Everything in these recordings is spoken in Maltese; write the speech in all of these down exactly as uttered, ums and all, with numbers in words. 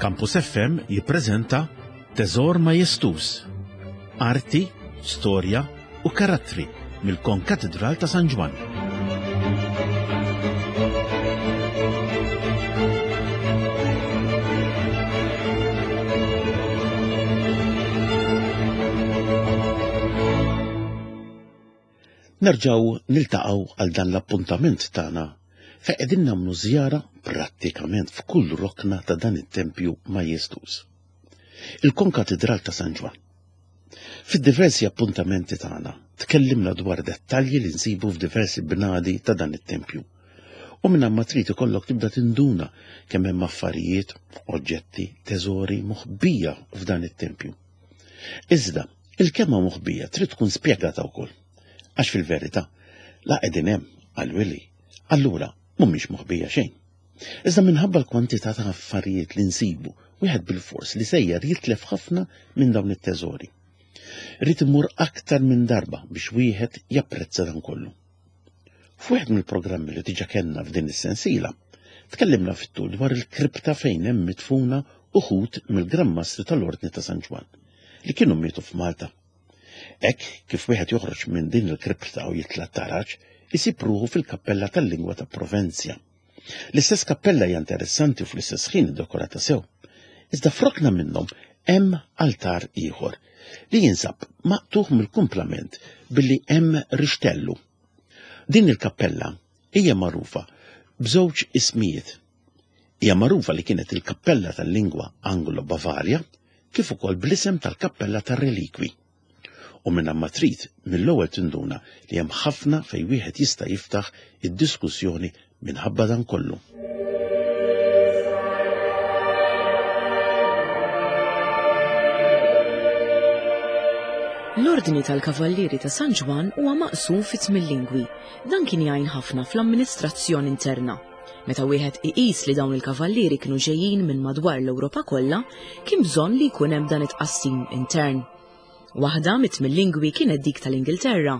Campus F M jippreżenta Teżor Majestuż. Arti, storja u karattri mill-Konkatedral ta' San Ġwann. Nerġaw niltaqgħu għal dan l-appuntament tagħna fejn qegħdin nagħmlu żjara prattikament f'kull rokna ta' dan it-tempju majestuż. Il-Konkatedral ta' San Ġwann. Fid-diversi appuntamenti tagħna tkellimna dwar dettalji li nsibu f'diversi bnadi ta' dan it-tempju. U minn ma trid ikollok tibda tinduna kemm hemm affarijiet, oġġetti, teżori moħbija f'dan it-tempju. Iżda, il-kelma moħbija trid tkun spjegata wkoll. Għax fil-verità, la qegħdin hemm għal-wili, allura mhumiex moħbija xejn. Iżda minħabba l-kwantità ta' affarijiet li nsibu, wieħed bil-fors li sejjer jitlef ħafna minn dawn it-teżori. Rrid imur aktar minn darba biex wieħed japprezza dan kollu. F'wieħed mill-programmi li diġà kellna f'din is-sensiela, tkellimna fit-tul dwar il-kripta fejn hemm midfuna uħud mill-Gran Mastri tal-Ordni ta' San Ġwann li kienu mietu f'Malta. Hekk kif wieħed joħroġ minn din il-kripta u jitla' taraġ, isib ruħu fil-kappella tal-lingwa ta' Provenzja. L-istess kappella hija interessanti u fl-istess ħin iddekorata sew. Iżda f'rokna minnhom hemm altar ieħor li jinsab maqtuħ mill-kumplament billi hemm rixtellu. Din il-kappella hija magħrufa b'żewġ ismijiet. Hija magħrufa li kienet il-kappella tal-lingwa Anglo-Bavarja kif ukoll bl-isem tal-kappella tar-relikwi. U minn ma trid mill-ewwel tinduna li hemm ħafna fejn wieħed jista' jiftaħ id-diskussjoni minħabba dan kollu. L-Ordni tal-Kavallieri ta' San Ġwann huwa maqsum fi tmien lingwi. Dan kien jgħin ħafna fl-amministrazzjoni interna. Meta wieħed iqis li dawn il-kavallieri kienu ġejjin minn madwar l-Ewropa kollha, kien bżonn li jkun hemm dan it-tqassim intern. Waħda mit-tmien lingwi kienet dik tal-Ingilterra.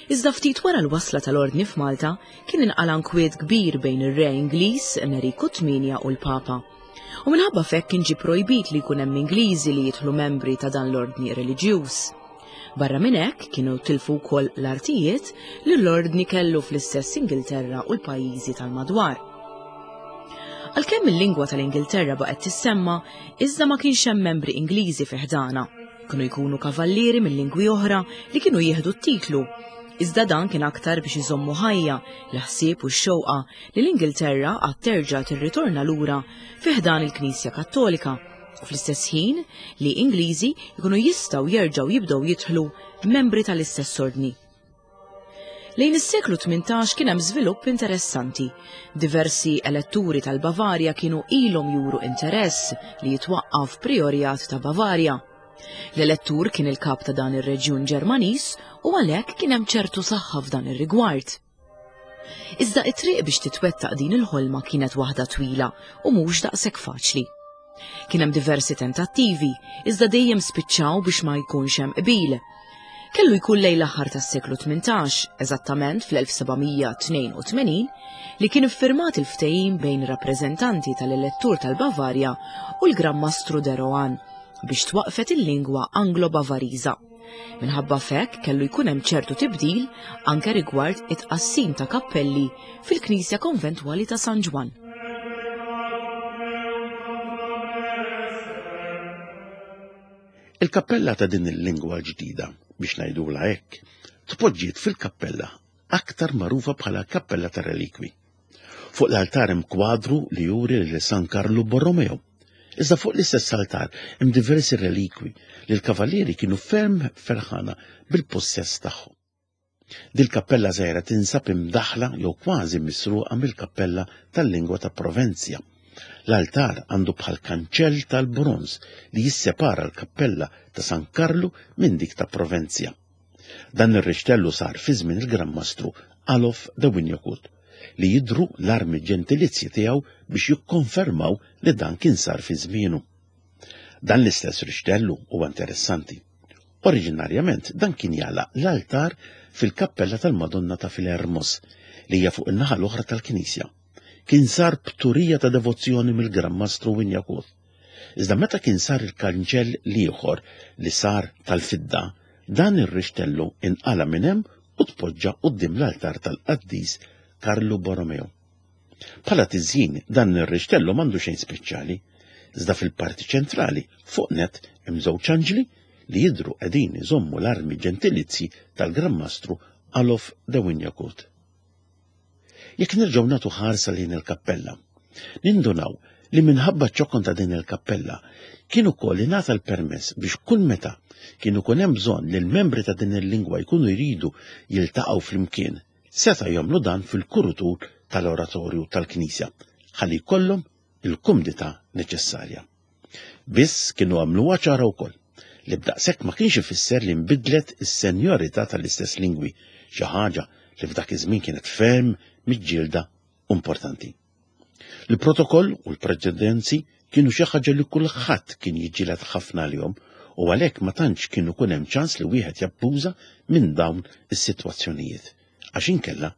Iżda ftit wara l-wasla tal-Ordni f'Malta kien inqala nkwiet kbir bejn ir-re Ingliż Enriku Tmienja u l-Papa. U minħabba f'hekk kien ġie projbit li jkun hemm Ingliżi li jidħlu membri ta' dan l-ordni reliġjuż. Barra minn hekk kienu tilfu wkoll l-artijiet li l-ordni kellu fl-istess Ingilterra u l-pajjiżi tal-madwar. Għalkemm il-lingwa tal-Ingilterra baqgħet tissemma, iżda ma kienx hemm membri Ingliżi fi ħdana. Kienu jkunu kavallieri minn lingwi oħra li kienu jieħdu t-titlu. Iżda dan kien aktar biex iżommu ħajja l-ħsieb u x-xewqa li l-Ingilterra għad terġa' tirritorna lura fi ħdan il-Knisja Kattolika u fl-istess ħin li Ingliżi jkunu jistgħu jerġgħu jibdew jidħlu membri tal-istess ordni. Lejn is-seklu tmintax kien hemm żvilupp interessanti. Diversi eletturi tal-Bavarja kienu ilhom juru interess li jitwaqqaf priorjat ta' Bavarja. L-elettur kien il-kap ta' dan ir-reġjun Ġermaniż u għalhekk kien hemm ċertu saħħa f'dan ir-rigward. Iżda it-triq biex titwettaq din il-ħolma kienet waħda twila u mhux daqshekk faċli. Kien hemm diversi tentattivi, iżda dejjem spiċċaw biex ma jkunx hemm qbil. Kellu jkun lejn l-aħħar tas-seklu tmintax, eżattament fl-elf seba' mija tnejn u tmenin, li kien iffirmat il-ftehim bejn rappreżentanti tal-elettur tal-Bavarja u l-Gran Mastru de Rohan biex twaqfet il-lingwa Anglo-Bavariża. Minħabba f'hekk kellu jkun hemm ċertu tibdil anke rigward it-tqassim ta' kappelli fil-Knisja Konventwali ta' San Ġwann. Il-kappella ta' din il-lingwa l-ġdida, biex ngħidula hekk, tpoġġiet fil-kappella aktar magħrufa bħala Kappella ta' Relikwi. Fuq l-altar hemm kwadru li juri lil San Karlu Borromeo. Iżda fuq l-istess altar hemm diversi relikwi li l-kavallieri kienu ferm ferħana bil-possess tagħhom. Dil-kappella żgħira tinsab imdaħla jew kważi misruqa mill-kappella tal-lingwa ta' Provenzja. L-altar għandu bħal kanċell tal-bronz li jissepara l-kappella ta' San Karlu minn dik ta' Provenzja. Dan ir-rixtellu sar fi żmien il-Gran Mastru Alof de Wignacourt li jidru l-armi ġentilizji tiegħu biex jikkonfermaw li dan kien sar fi żmienu. Dan l-istess rixtellu huwa interessanti. Oriġinarjament dan kien jagħlaq l-altar fil-kappella tal-Madonna ta' Filermos li hija fuq in-naħa l-oħra tal-Knisja. Kien sar b'turija ta' devozzjoni mill-Gran Mastru Wignacourt. Iżda meta kien sar il-kanċell l-ieħor li sar tal-fidda, dan ir-rixtellu inqala minn hemm u tpoġġa quddiem l-altar tal-qaddis Karlu Borromeo. Bħala tiżjin dan ir-rixtellu m'għandu xejn speċjali, iżda fil-parti ċentrali fuq net hemm żewġ anġli li jidhru qegħdin iżommu l-armi ġentilizzi tal-Gran Mastru Alof de Wignacourt. Jekk nerġgħu nagħtu ħarsa lejn il-kappella, nindunaw li minħabba ċ-ċokon ta' din il-kappella kien ukoll ingħata l-permess biex kull meta kien ikun hemm bżonn li l-membri ta' din il-lingwa jkunu jridu jiltaqgħu flimkien, seta' jagħmlu dan fil-kurutur tal-oratorju tal-Knisja ħalli jkollhom il-kumdità neċessarja. Biss kienu għamluha ċara wkoll li b'daqshekk ma kienx ifisser li nbidlet is-senjorità tal-istess lingwi, xi ħaġa li f'dak iż-żmien kienet ferm miġġielda importanti. Il-protokoll u l-preċedenzi kienu xi ħaġa li kulħadd kien jiġġieled ħafna għalihom u għalhekk ma tantx kien ikun hemm ċans li wieħed jabbuża minn dawn is-sitwazzjonijiet, għax inkella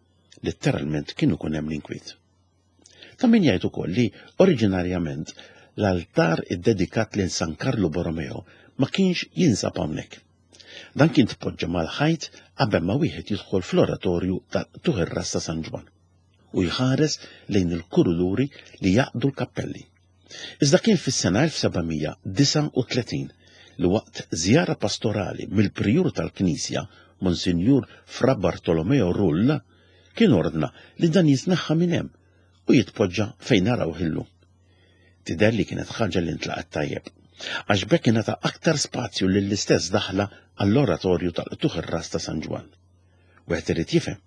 letteralment kien ikun hemm l-inkwiet. Ta' min jgħid ukoll li oriġinarjament l-altar iddedikat lil San Karlu Borromeo ma kienx jinsab hawnhekk. Dan kien tpoġġa mal-ħajt qabel ma wieħed jidħol fl-oratorju ta' Tuħ ir-Ras ta' San Ġwann u jħares lejn il-kuruduri li jaqdu l-kappelli. Iżda kien fis-sena elf seba' mija disgħa u tletin li waqt żjara pastorali mill-prijur tal-Knisja, Monsinjur Fra Bartolomeo Rull, kien ordna li dan jitneħħa minn hemm u jitpoġġa fejn naraw illum. Tidher li kienet ħaġa li ntlaqat tajjeb, għax b'hekk ingħata aktar spazju lill-istess daħla għall-oratorju tal-Qtugħ ir-Ras ta' San Ġwann. Wieħed irid jifhem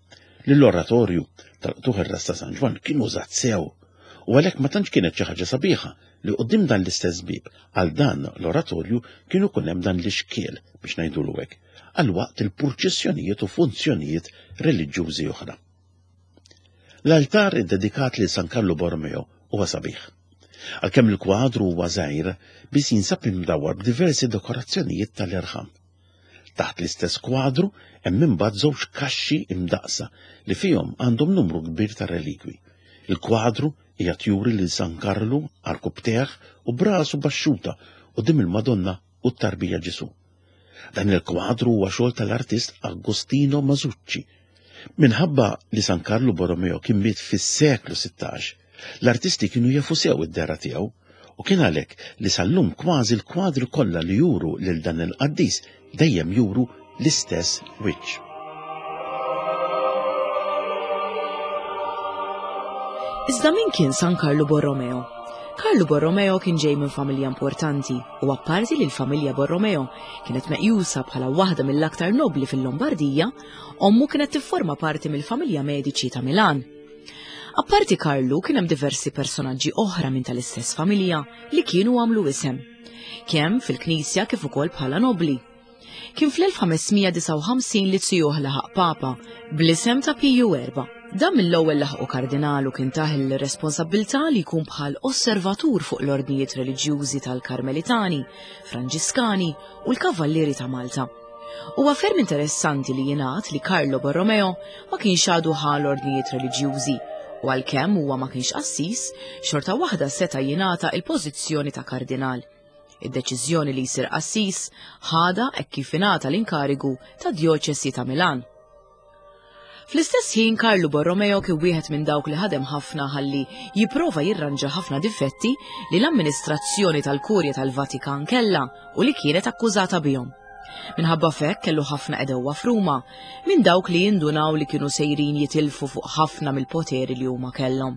li l-oratorju tal-Qtugħ ir-Ras ta' San Ġwann kien użat sew u għalhekk ma tantx kienet xi ħaġa sabiħa li quddiem dan l-istess bieb għal dan l-oratorju kienu ikun hemm dan l-ixkiel biex ngħidulu hekk għal waqt il-purċissjonijiet u funzjonijiet reliġjużi oħra. L-altar iddedikat lil San Karlu Borromeo huwa sabiħ. Għalkemm il-kwadru huwa żgħir, biss jinsab imdawwar b'diversi dekorazzjonijiet tal-irħam. Taħt l-istess kwadru hemm imbagħad żewġ kaxxi imdaqsa li fihom għandhom numru kbir ta' relikwi. Il-kwadru qiegħed juri lil San Karlu arkubtejh u brasu baxxuta quddiem il-Madonna u t-tarbija Ġesu. Dan il-kwadru huwa xogħol tal-artist Agostino Masucci. Minħabba li San Karlu Borromeo kien miet fis-seklu sittax, l-artisti kienu jafu sew id-dehra tiegħu u kien għalhekk li sal-lum kważi l-kwadri kollha li juru lil dan il-qaddis dejjem juru l-istess wiċċ. Iżda min kien San Karlu Borromeo? Karlu Borromeo kien ġej minn familja importanti u apparti li l-familja Borromeo kienet meqjusa bħala waħda mill-aktar nobli fil-Lombardija, ommu kienet tifforma parti mill-familja Medici ta' Milan. Apparti Karlu kien hemm diversi personaġġi oħra minn tal-istess familja li kienu għamlu isem, kemm fil-Knisja kif ukoll bħala nobli. Kien fl-elf ħames mija disgħa u ħamsin li zijuh laħaq Papa bl-isem ta' Piju erba'. Dan mill-ewwel laħqu kardinal u kien tah il-responsabbiltà li jkun bħal osservatur fuq l-ordnijiet reliġjużi tal-Karmelitani, Franġiskani u l-Kavallieri ta' Malta. Huwa ferm interessanti li jingħad li Carlo Borromeo ma kienx għadu ħa l-ordnijiet reliġjużi u għalkemm huwa ma kienx qassis, xorta waħda seta' jingħata il-pożizzjoni ta' kardinal. Id-deċiżjoni li jsir qassis ħadha hekk kif ingħata l-inkarigu ta' djoċesi ta' Milan. Fl-istess ħin Karlu Borromeo kien wieħed minn dawk li ħadem ħafna ħalli jipprova jirranġa ħafna difetti li l-amministrazzjoni tal-Kurja tal-Vatikan kellha u li kienet akkużata bihom. Minħabba f'hekk kellu ħafna edewwa f'Ruma minn dawk li jindunaw li kienu sejrin jitilfu fuq ħafna mill-poteri li huma kellhom.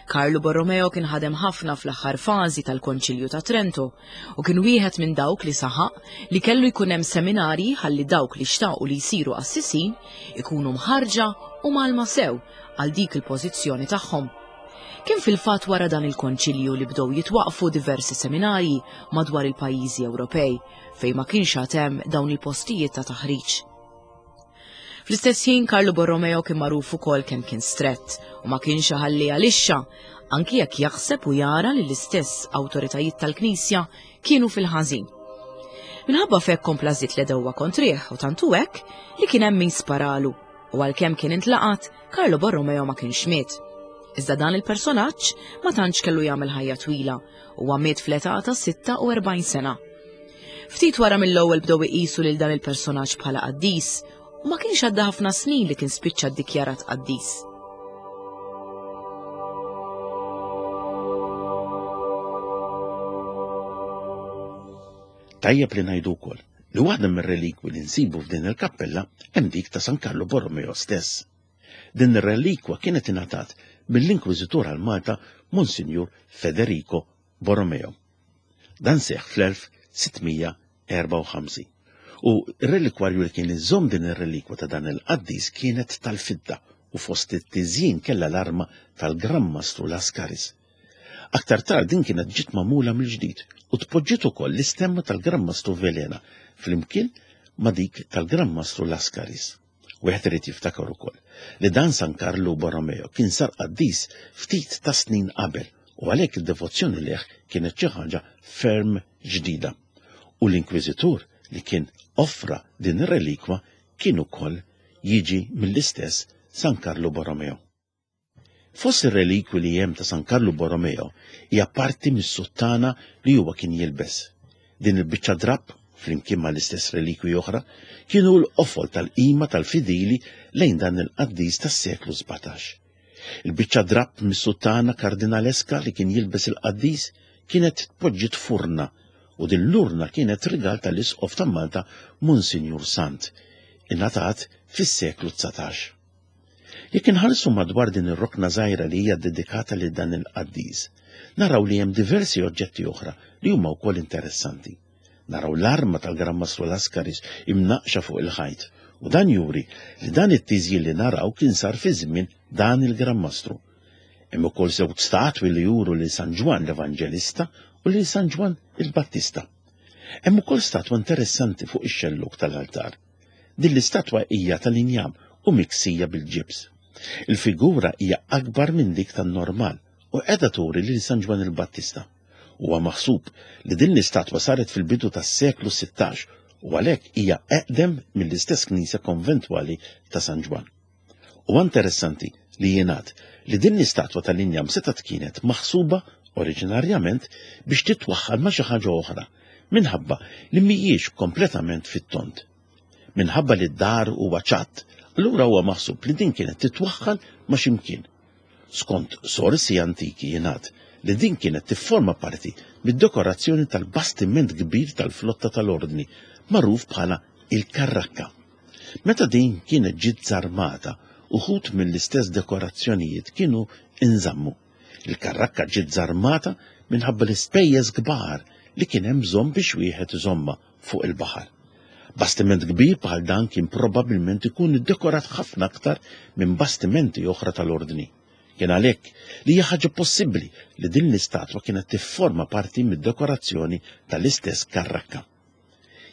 Karlu Borromeo kien ħadem ħafna fl-aħħar fażi tal-Konċilju ta' Trento u kien wieħed minn dawk li saħaq li kellu jkun hemm seminarji ħalli dawk li xtaqu li jsiru qassisin ikunu mħarġa u mgħallma sew għal dik il-pożizzjoni tagħhom. Kien fil-fatt wara dan il-konċilju li bdew jitwaqfu diversi seminarji madwar il-pajjiżi Ewropej fejn ma kienx għad hemm dawn il-postijiet ta' taħriġ. Fl-istess ħin Karlu Borromeo kien magħruf ukoll kemm kien strett u ma kienx iħalli għalixxa, anki jekk jaħseb u jara li l-istess awtoritajiet tal-Knisja kienu fil-ħażin. Minħabba f'hekk kompla żied l-edewwa kontrih u tantu hekk li kien hemm min sparalu u għalkemm kien intlaqat, Karlu Borromeo ma kienx miet. Iżda dan il-personaġġ ma tantx kellu jagħmel ħajja twila u miet fl-età ta' sitta u erbgħin sena. Ftit wara mill-ewwel bdew iqisu lil dan il-personaġġ bħala qaddis u ma kienx għadda ħafna snin li kien spiċċa ddikjarat qaddis. Tajjeb li ngħidu wkoll li waħda mir-relikwi li nsibu f'din il-kappella hemm dik ta' San Karlu Borromeo stess. Din ir-relikwa kienet ingħatat mill-Inkwiżitur għal Malta Monsinjur Federico Borromeo. Dan seħħ fl-elf sittmija erbgħa u ħamsin. U r-relikwarju li kien iżomm din ir-relikwa ta' dan il-qaddis kienet tal-fidda u fost it-tiżjin kellha l-arma tal-Gran Mastru Lascaris. Aktar tard din kienet ġiet magħmula mill-ġdid u tpoġġiet ukoll l-istemma tal-Gran Mastru Velena flimkien ma' dik tal-Gran Mastru Lascaris. Wieħed irid jiftakar ukoll li dan San Karlu Borromeo kien sar qaddis ftit ta' snin qabel u għalhekk id-devozzjoni leh kienet xi ħaġa ferm ġdida. U l-Inkwiżitur li kien offra din ir-relikwa kien ukoll jiġi mill-istess San Karlu Borromeo. Fost ir-relikwi li hemm ta' San Karlu Borromeo hija parti mis-suttana li huwa kien jilbes. Din il-biċċa drapp, flimkien mal-istess relikwi oħra, kienu l-qofol tal-qima tal-fidili lejn dan il-qaddis tas-seklu sbatax. Il-biċċa drapp mis-suttana kardinaleska li kien jilbes il-qaddis kienet tpoġġiet furna u din l-urna kienet rigal tal-Isqof ta' Malta Monsinjur Sant, ingħatat fis-seklu dsatax. Jekk inħarsu madwar din ir-rokna żgħira li hija dedikata lil dan il-qaddis, naraw li hemm diversi oġġetti oħra li huma wkoll interessanti. Naraw l-arma tal-Gran Mastru Lascaris imnaqxa fuq il-ħajt, u dan juri li dan it-tiżjin li naraw kien sar fi żmien dan il-Gran Mastru. Hemm ukoll żewġ statwi li juru lil San Ġwann l-Evanġelista u lil San Ġwann il-Battista. Hemm ukoll statwa interessanti fuq ix-xelluk tal-altar. Din l-istatwa hija tal-injam u miksija bil-ġibs. Il-figura hija akbar minn dik tan-normal u qiegħda turi lil San Ġwann il-Battista. Huwa maħsub li din l-istatwa saret fil-bidu tas-seklu sittax u għalhekk hija eqdem mill-istess knisja konventwali ta' San Ġwann. Huwa interessanti li jingħad li din l-istatwa tal-injam setgħet kienet maħsuba oriġinarjament biex titwaħħal ma' xi ħaġa oħra minħabba li mhijiex kompletament fit-tont. Minħabba li d-dar huwa ċatt, allura huwa maħsub li din kienet titwaħħal ma' xi mkien. Skont sorsi antiki jingħad li din kienet tifforma parti mid-dekorazzjoni tal-bastiment kbir tal-flotta tal-Ordni, magħruf bħala il-Karrakka. Meta din kienet ġiet żarmata, uħud mill-istess dekorazzjonijiet kienu inżammu. Il-Karrakka ġiet żarmata minħabba l-ispejjeż kbar li kien hemm bżonn biex wieħed iżomma fuq il-baħar. Bastiment kbir bħal dan kien probabbilment ikun iddekorat ħafna aktar minn bastimenti oħra tal-Ordni. Kien għalhekk li hija ħaġa possibbli li din l-istatwa kienet tifforma parti mid-dekorazzjoni tal-istess Karrakka.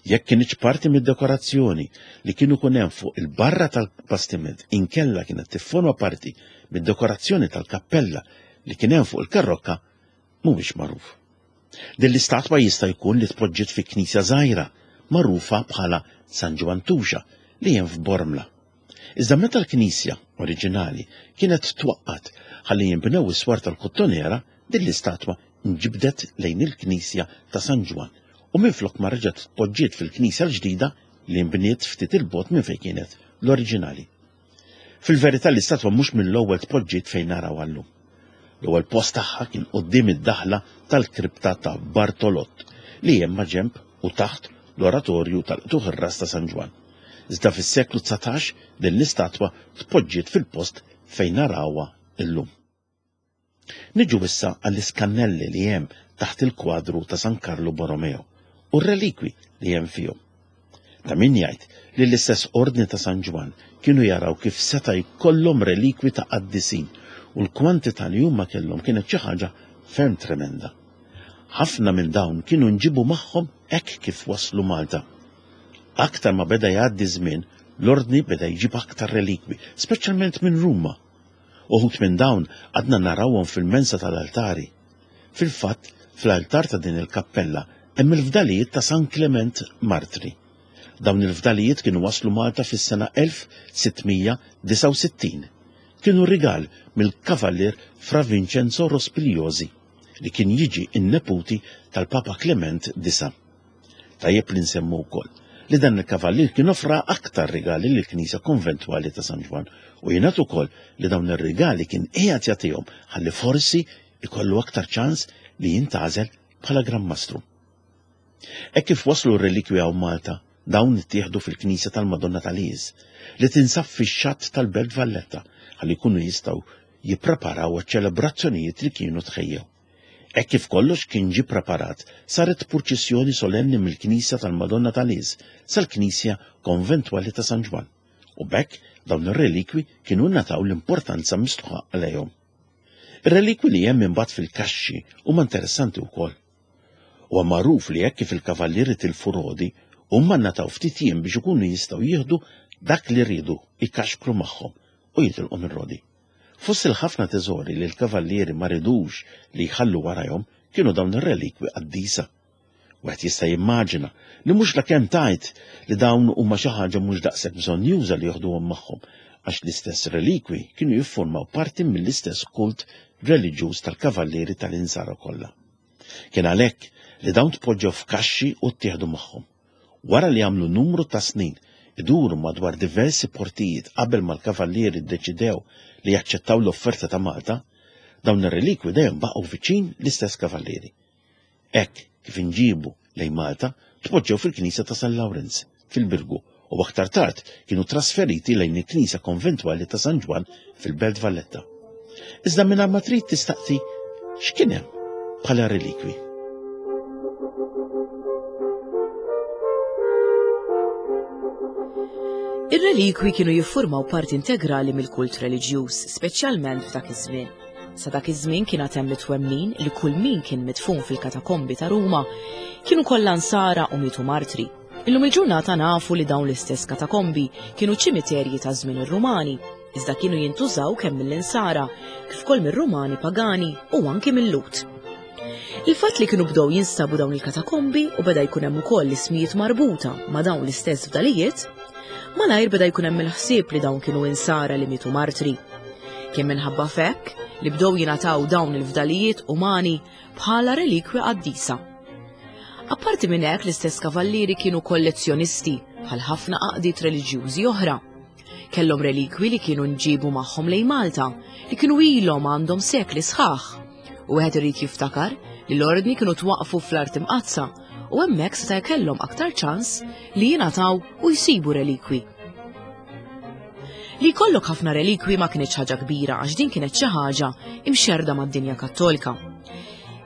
Jekk kienx parti mid-dekorazzjoni li kienu kun hemm fuq il-barra tal-bastiment inkella kienet tifforma parti mid-dekorazzjoni tal-kappella li kien hemm fuq il-karrokka mhuwiex magħruf. Din l-istatwa jista' jkun li tpoġġiet fi knisja żgħira magħrufa bħala San Ġwann Tuxa li hemm f'Bormla. Iżda meta l-knisja oriġinali kienet twaqqat ħalli jinbnew is-swar tal-Kottonera, din l-istatwa nġibdet lejn il-knisja ta' San Ġwann u minflok ma reġgħet tpoġġiet fil-knisja l-ġdida li nbniet ftit il-bogħod minn fejn kienet l-oriġinali. Fil-verità l-istatwa mhux mill-ewwel tpoġġiet fejn naraw għallum. L-ewwel post tagħha kien quddiem id-daħla tal-kripta ta' Bartolott li hemm ma' ġenb u taħt l-oratorju tal-qtuħ ir-ras ta' San Ġwann. Iżda fis-seklu dsatax din l-istatwa tpoġġiet fil-post fejn narawha illum. Niġu issa għall-iskannelli li hemm taħt il-kwadru ta' San Karlu Borromeo u r-relikwi li hemm fihom. Ta' min jgħid li l-istess Ordni ta' San Ġwann kienu jaraw kif seta' jkollhom relikwi ta' qaddisin u l-kwantità li huma kellhom kienet xi ħaġa ferm tremenda. Ħafna minn dawn kienu nġibu magħhom hekk kif waslu Malta. Aktar ma beda jgħaddi żmien, l-Ordni beda jġib aktar relikwi, speċjalment minn Ruma. Uħud minn dawn għadna narawhom fil-mensa tal-altari. Fil-fatt, fl-altar ta' din il-kappella hemm il-fdalijiet ta' San Clement Martri. Dawn il-fdalijiet kienu waslu Malta fis-sena elf sittmija disgħa u sittin. kienu rigal mill-kavallier Fra Vincenzo Rospigliosi li kien jiġi n-neputi tal-Papa Clement disa. Tajjeb li nsemmu wkoll li dan il-kavallier kien offra aktar rigali lill-Knisja Konventwali ta' San Ġwann u jingħad ukoll li dawn ir-rigali kien qiegħed jagħtihom ħalli forsi ikollu aktar ċans li jintgħażel bħala Gran Mastru. Hekk kif waslu r-relikwi hawn Malta, dawn ittieħdu fil-Knisja tal-Madonna tal-Iż li tinsab fix-xatt tal-Belt Valletta ħalli jkunu jistgħu jippreparaw għaċ-ċelebrazzjonijiet li kienu tħejjew. Hekk kif kollox kien ġie preparat, saret purċissjoni solenni mill-Knisja tal-Madonna tal-Iż sal-Knisja Konventwali ta' San Ġwann u b'hekk dawn ir-relikwi kienu ngħataw l-importanza mistħoqqa għalihom. Ir-relikwi li hemm imbagħad fil-kaxxi huma interessanti wkoll. Huwa magħruf li hekk kif il-kavallieri tilfu Rodi, huma ngħataw ftit jiem biex ikunu jistgħu jieħdu dak li riedu jkaxkru magħhom u jitilqu minn Rodi. Fost il-ħafna teżori li l-kavallieri ma ridux li jħallu warajhom kienu dawn ir-relikwi qaddisa. Wieħed jista' jimmaġina li mhux lakemm tgħid li dawn huma xi ħaġa mhux daqshekk bżonnjuża li joħduhom magħhom, għax l-istess relikwi kienu jiffurmaw parti mill-istess kult reliġjuż tal-kavallieri tal-insara kollha. Kien għalhekk li dawn tpoġġew f'kaxxi u ttieħdu magħhom. Wara li għamlu numru ta' snin iduru madwar diversi portijiet qabel ma l-kavallieri ddeċidew li jaċċettaw l-offerta ta' Malta, dawn ir-relikwi dejjem baqgħu viċin l-istess kavallieri. Hekk kif inġibu lejn Malta, tpoġġew fil-Knisja ta' San Lawrenz fil-Birgu u aktar tard kienu trasferiti lejn il-Knisja Konventwali ta' San Ġwann fil-Belt Valletta. Iżda mingħajr ma trid tistaqsi x'kien hemm bħala relikwi. Ir-relikwi kienu jiffurmaw parti integrali mill-kult reliġjuż, speċjalment f'dak iż-żmien. Sa dak iż-żmien kien għad hemm it-twemmin li kull min kien midfun fil-katakombi ta' Ruma kienu kollha nsara u mietu martri. Illum il-ġurnata nafu li dawn l-istess katakombi kienu ċimiterji ta' żmien ir-Rumani, iżda kienu jintużaw kemm mill-insara, kif ukoll mir-Rumani pagani u anki mill-Lut. Il-fatt li kienu bdew jinstabu dawn il-katakombi u beda jkun hemm ukoll l-ismijiet marbuta ma' dawn l-istess fdalijiet, malajr beda jkun hemm il-ħsieb li dawn kienu insara li mietu martri. Kien minħabba f'hekk li bdew jingħataw dawn il-fdalijiet umani bħala relikwi qaddisa. Apparti minn hekk l-istess kavallieri kienu kollezzjonisti bħal ħafna għaqdiet reliġjużi oħra. Kellhom relikwi li kienu nġibu magħhom lejn Malta li kienu ilhom għandhom sekli sħaħ. U wieħed irid jiftakar li l-ordni kienu twaqfu fl-Art Imqaddsa u hemmhekk seta' jkellhom aktar ċans li jingħataw u jsibu relikwi. Li jkollok ħafna relikwi ma kienx ħaġa kbira għax din kienet xi ħaġa imxerda mad-dinja Kattolika.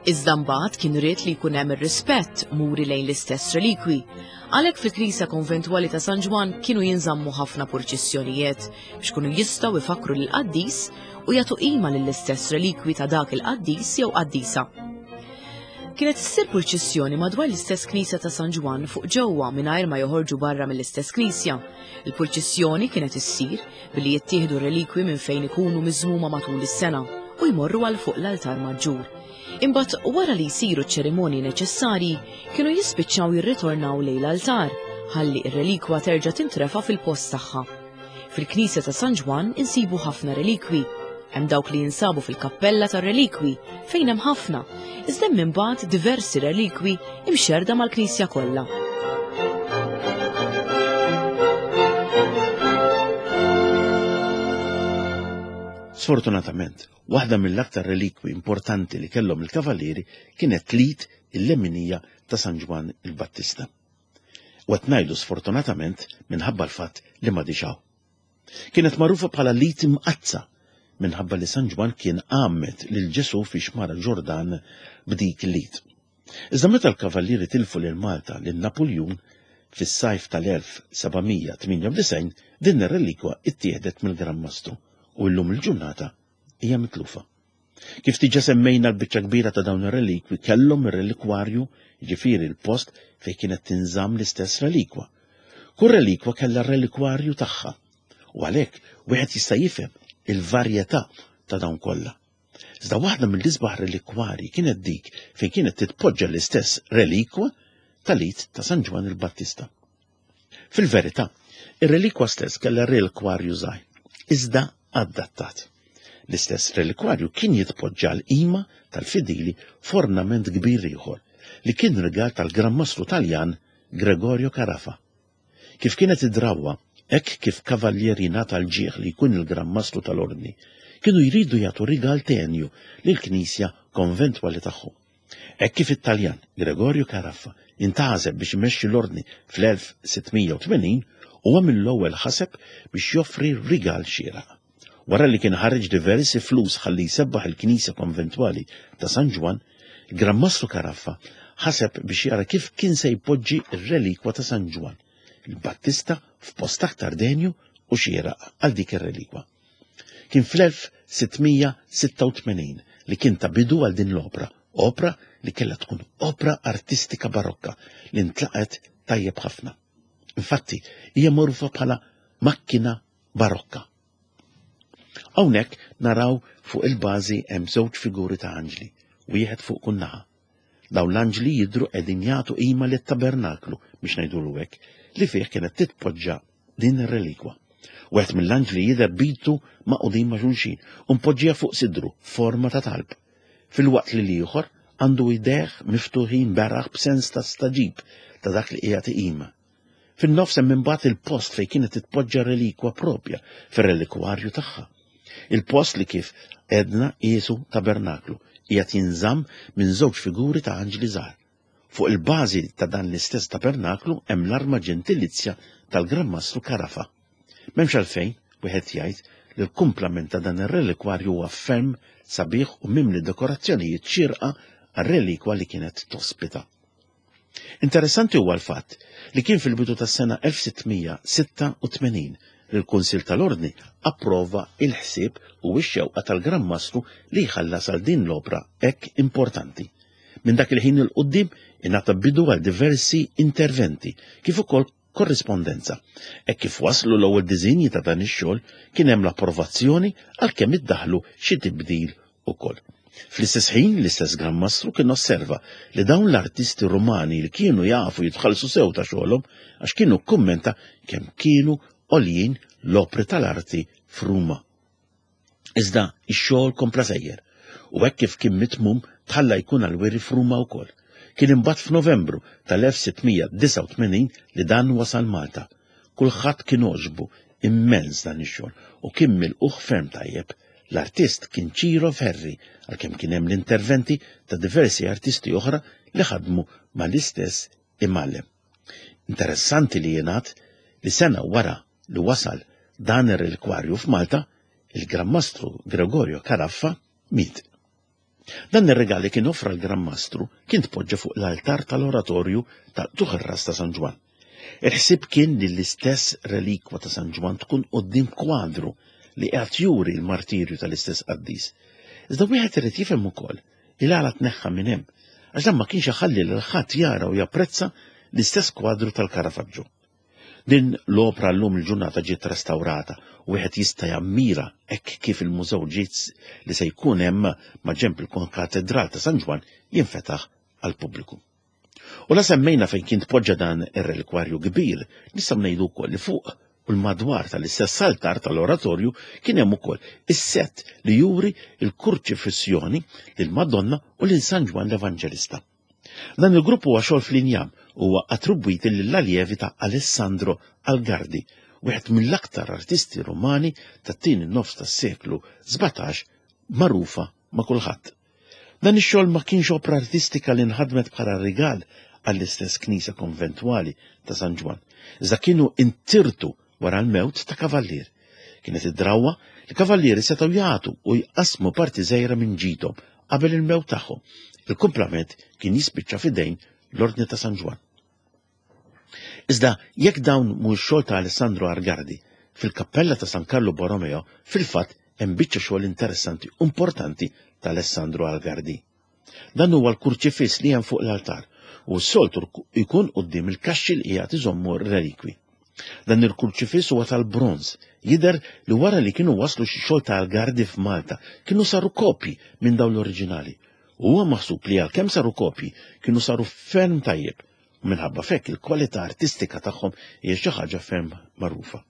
Iżda mbagħad kien ried li jkun hemm ir-rispett muri lejn l-istess relikwi. Għalhekk fil-Knisja Konventwali ta' San Ġwann kienu jinżammu ħafna purċissjonijiet biex kunu jistgħu jfakkru lill-qaddis u jagħtu qima lill-istess relikwi ta' dak il-qaddis jew qaddisa. Kienet issir purċissjoni madwar l-istess Knisja ta' San Ġwann fuq ġewwa mingħajr ma joħorġu barra mill-istess knisja. Il-purċissjoni kienet issir billi jittieħdu relikwi minn fejn ikunu miżmuma matul is-sena u jmorru għal fuq l-altar maġġur. Imbagħad wara li jsiru ċ-ċerimonji neċessarji kienu jispiċċaw jirritornaw lejn l-altar ħalli r-relikwa terġa' tintrefa' fil-post tagħha. Fil-Knisja ta' San Ġwann insibu ħafna relikwi. Hemm dawk li jinsabu fil-kappella tar-relikwi fejn hemm ħafna, iżda hemm imbagħad diversi relikwi imxerda mal-knisja kollha. Sfortunatament, waħda mill-aktar relikwi importanti li kellhom il-kavallieri kienet l-id il-leminija ta' San Ġwann il-Battista. U qed ngħidu sfortunatament minħabba l-fatt li ma diġaw. Kienet magħrufa bħala l-id imqaddsa minħabba li San Ġwann kien għammed lil Ġesù fi xmara Ġordan b'dik l-id. Iżda meta l-kavallieri tilfu lil Malta lil Napuljun fis-sajf tal-elf seba' mija tmienja u disgħin, din ir-relikwa ittieħdet mill-Gran Mastru u llum il-ġurnata hija mitlufa. Kif diġà semmejna l-biċċa kbira ta' dawn ir-relikwi kellhom ir-relikwarju, jiġifieri l-post fejn kienet tinżamm l-istess relikwa. Kull relikwa kellha r-relikwarju tagħha u għalhekk wieħed jista' jifhem il-varjetà ta' dawn kollha. Iżda waħda mill-isbaħ relikwarji kienet dik fejn kienet titpoġġa l-istess relikwa tal-id ta' San Ġwann il-Battista. Fil-verità, ir-relikwa stess kellha relikwarju żgħir, iżda adattat. L-istess relikwarju kien jitpoġġa l-qima tal-fidili f'ornament kbir ieħor li kien rigal tal-Gran Mastru Taljan Gregorio Carafa. Kif kienet id-drawwa, hekk kif kavallier jingħata l-ġieħ li jkun il-Gran Mastru tal-Ordni, kienu jridu jagħtu rigal tenju lill-knisja konventwali tagħhom. Hekk kif it-Taljan Gregorio Carafa intgħażel biex imexxi l-Ordni fl-elf sitt mija u tmenin, huwa mill-ewwel ħaseb biex joffri rigal xieraq. Wara li kien ħareġ diversi flus ħalli jsebbaħ il-knisja konventwali ta' San Ġwann, il-Gran Mastru Carafa ħaseb biex jara kif kien se jpoġġi r-relikwa ta' San Ġwann, il-Battista, f'post aktar denju u xieraq għal dik ir-relikwa. Kien fl-elf sitt mija sitta u tmenin li kien ta' bidu għal din l-opra, opra li kellha tkun opra artistika barokka li ntlaqet tajjeb ħafna. Infatti, hija magħrufa bħala makkina barokka. Hawnhekk naraw fuq il-bażi hemm żewġ figuri ta' anġli, wieħed fuq kull naħa. Dawn l-anġli jidhru qegħdin jagħtu qima lit-tabernaklu, biex ngħidulu hekk, li fih kienet titpoġġa din ir-relikwa. Wieħed mill-anġli jidher bitu maqudin ma' xulxin u mpoġġija fuq sidru forma ta' talb, filwaqt li l-ieħor għandu idejh miftuħin beraħ b'sens ta' staġib ta' dak li qiegħed iqima. Fin-nofs hemm imbagħad il-post fejn kienet titpoġġa relikwa propja fir-relikwarju tagħha. Il-post li kif edna qisu tabernaklu qiegħed jinżamm minn żewġ figuri ta' anġli żgħar. Fuq il-bażi ta' dan l-istess tabernaklu hemm l-arma ġentilizja tal-Gran Mastru Carafa. M'hemmx għalfejn wieħed jgħid li l-kumplament ta' dan ir-relikwarju huwa ferm sabiħ u mimli dekorazzjonijiet xierqa għar-relikwa li kienet tospita. Interessanti huwa l-fatt li kien fil-bidu tas-sena elf sitt mija sitta u tmenin li l-Kunsill tal-Ordni approva il-ħsieb u x-xewqa tal-Gran Mastru li jħallas għal din l-opra hekk importanti. Minn dak il-ħin il quddiem ingħata bidu għal diversi interventi kif ukoll korrispondenza. Hekk kif waslu l-ewwel diżinji ta' dan ix-xogħol kien hemm l-approvazzjoni għalkemm iddaħlu xi tibdil ukoll. Fl-istess ħin l-istess Gran Mastru kien osserva li dawn l-artisti Rumani li kienu jafu jitħallsu sew ta' xogħolhom għax kienu kkummenta kemm kienu għoljin l-opri tal-arti f'Ruma. Iżda ix-xogħol kompla sejjer u hekk kif kien mitmum tħalla jkun għal-wiri f'Ruma wkoll. Kien imbagħad f'Novembru tal-elf sitt mija disgħa u tmenin li dan wasal Malta. Kulħadd kien għoġbu immens dan ix-xogħol u kien milquh ferm tajjeb. L-artist kien Ciro Ferri, għalkemm kien hemm l-interventi ta' diversi artisti oħra li ħadmu mal-istess imgħallem. Interessanti li jingħad li sena wara li wasal dan ir-relikwarju f'Malta, il-Gran Mastru Gregorio Caraffa miet. Dan ir-regal li kien offra l-Gran Mastru kien tpoġġa fuq l-altar tal-oratorju ta' Tuħ ir-Ras ta' San Ġwann. Il-ħsieb kien li l-istess relikwa ta' San Ġwann tkun quddiem kwadru li qed juri l-martirju tal-istess qaddis. Iżda wieħed irid jifhem ukoll il għala tneħħa minn hemm, għax dan ma kienx iħalli lil ħadd jara u japprezza l-istess kwadru tal-Caravaggio. Din l-opra llum il-ġurnata ġiet restaurata u wieħed jista' jammira hekk kif il-mużew ġiet li se jkun hemm ma' ġenb il-Konkatedral ta' San Ġwann jinfetaħ għall-pubbliku. U la semmejna fejn kien tpoġġa dan ir-relikwarju kbir, nistgħu ngħidu wkoll li fuq u l-madwar tal-istess altar tal-oratorju kien hemm ukoll is-sett li juri l-kurċifissjoni lil Madonna u lil San Ġwann l-Evanġelista. Dan il-grupp huwa xogħol fl-injam u huwa attribwiti lill-aljevi ta' Alessandro Algardi, wieħed mill-aktar artisti Rumani tat-tieni nofs tas-seklu sbatax magħrufa ma' kulħadd. Dan ix-xogħol ma kienx opra artistika li nħadmet bħala rigal għall-istess knisja konventwali ta' San Ġwann, iżda kienu intirtu wara l-mewt ta' kavallier. Kienet id-drawwa li kavallieri setgħu jagħtu u jqasmu parti żgħira minn ġidhom qabel il-mewt tagħhom. Il-kumplament kien jispiċċa f'idejn l-Ordni ta' San Ġwann. Iżda jekk dawn mhux xogħol ta' Alessandro Algardi, fil-kappella ta' San Carlo Borromeo fil-fatt hemm biċċa xogħol interessanti u importanti ta' Alessandro Algardi. Dan huwa l-kurċifiss li hemm fuq l-altar u s-soltu jkun quddiem il-kaxxi li qiegħed iżommu r-relikwi. Dan il-kurċifiss huwa tal-bronz, jidher li wara li kienu waslu xi xogħol ta' Algardi f'Malta kienu saru kopji minn dawn l-oriġinali. U huwa maħsub li għalkemm saru kopji kienu saru ferm tajjeb u minħabba fekk il-kwalità artistika tagħhom hija xi ħaġa ferm magħrufa.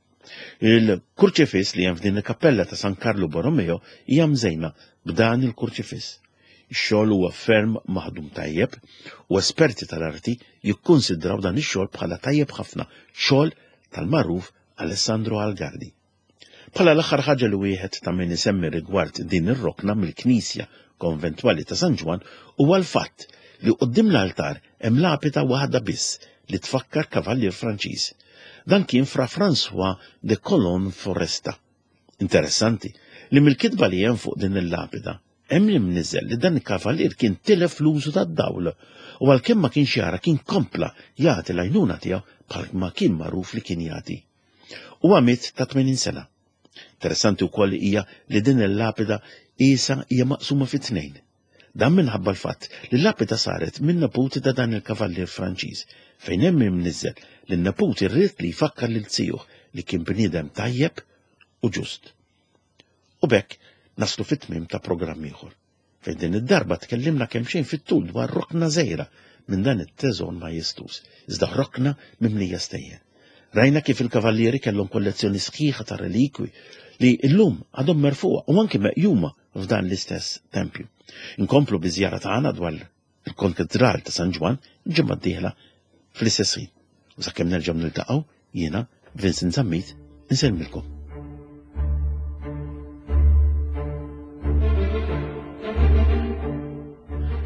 Il-kurċifiss li hemm f'din il-kappella ta' San Karlu Borromeo hija mżejna b'dan il-kurċifiss. Ix-xogħol huwa ferm maħdum tajjeb u esperti tal-arti jikkunsidraw dan ix-xogħol bħala tajjeb ħafna, xogħol tal-magħruf Alessandro Algardi. Bħala l-aħħar ħaġa li wieħed ta' min isemmi rigward din ir-rokna mill-Knisja Konventwali ta' San Ġwann huwa l-fatt li quddiem l-altar hemm lapida waħda biss li tfakkar kavallier Franċiż. Dan kien Fra François de Colon Foresta. Interessanti li mill-kitba li hemm fuq din il-lapida hemm li mniżel li dan il-kavallier kien tilef l-użu tad-dawl u għalkemm ma kienx jara kien kompla jagħti l-għajnuna tiegħu bħal ma kien magħruf li kien jagħti. Huwa miet ta' tmenin sena. Interessanti wkoll hija li din il-lapida isa hija maqsuma fi tnejn. Dan minħabba l-fatt li l-lapida saret minn neputi ta' dan il-kavallier Franċiż, fejn hemm imniżżel li n-neputi rrid li jfakkar lil zijuh li kien bniedem tajjeb u ġust. U b'hekk naslu fit-tmiem ta' programm ieħor, fejn din id-darba tkellimna kemm xejn fit-tul dwar rokna żgħira minn dan it-teżor majestuż, iżda rokna mimlija stejjer. Rajna kif il-kavallieri kellhom kollezzjoni sħiħa ta' relikwi li llum għadhom merfuqa u anki meqjuma f'dan l-istess tempju. Inkomplu biżjara tagħna dwar il-Konkatedral ta' San Ġwann ġimgħa d-dieħla fl-istess ħin. U sakemm nerġgħu niltaqgħu jiena Vincent Zammit insellmilkom.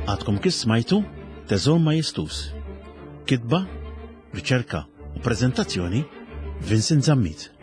Għadkom kif smajtu Teżor Majestuż. Kitba, riċerka u prezentazzjoni Vincent Zammit.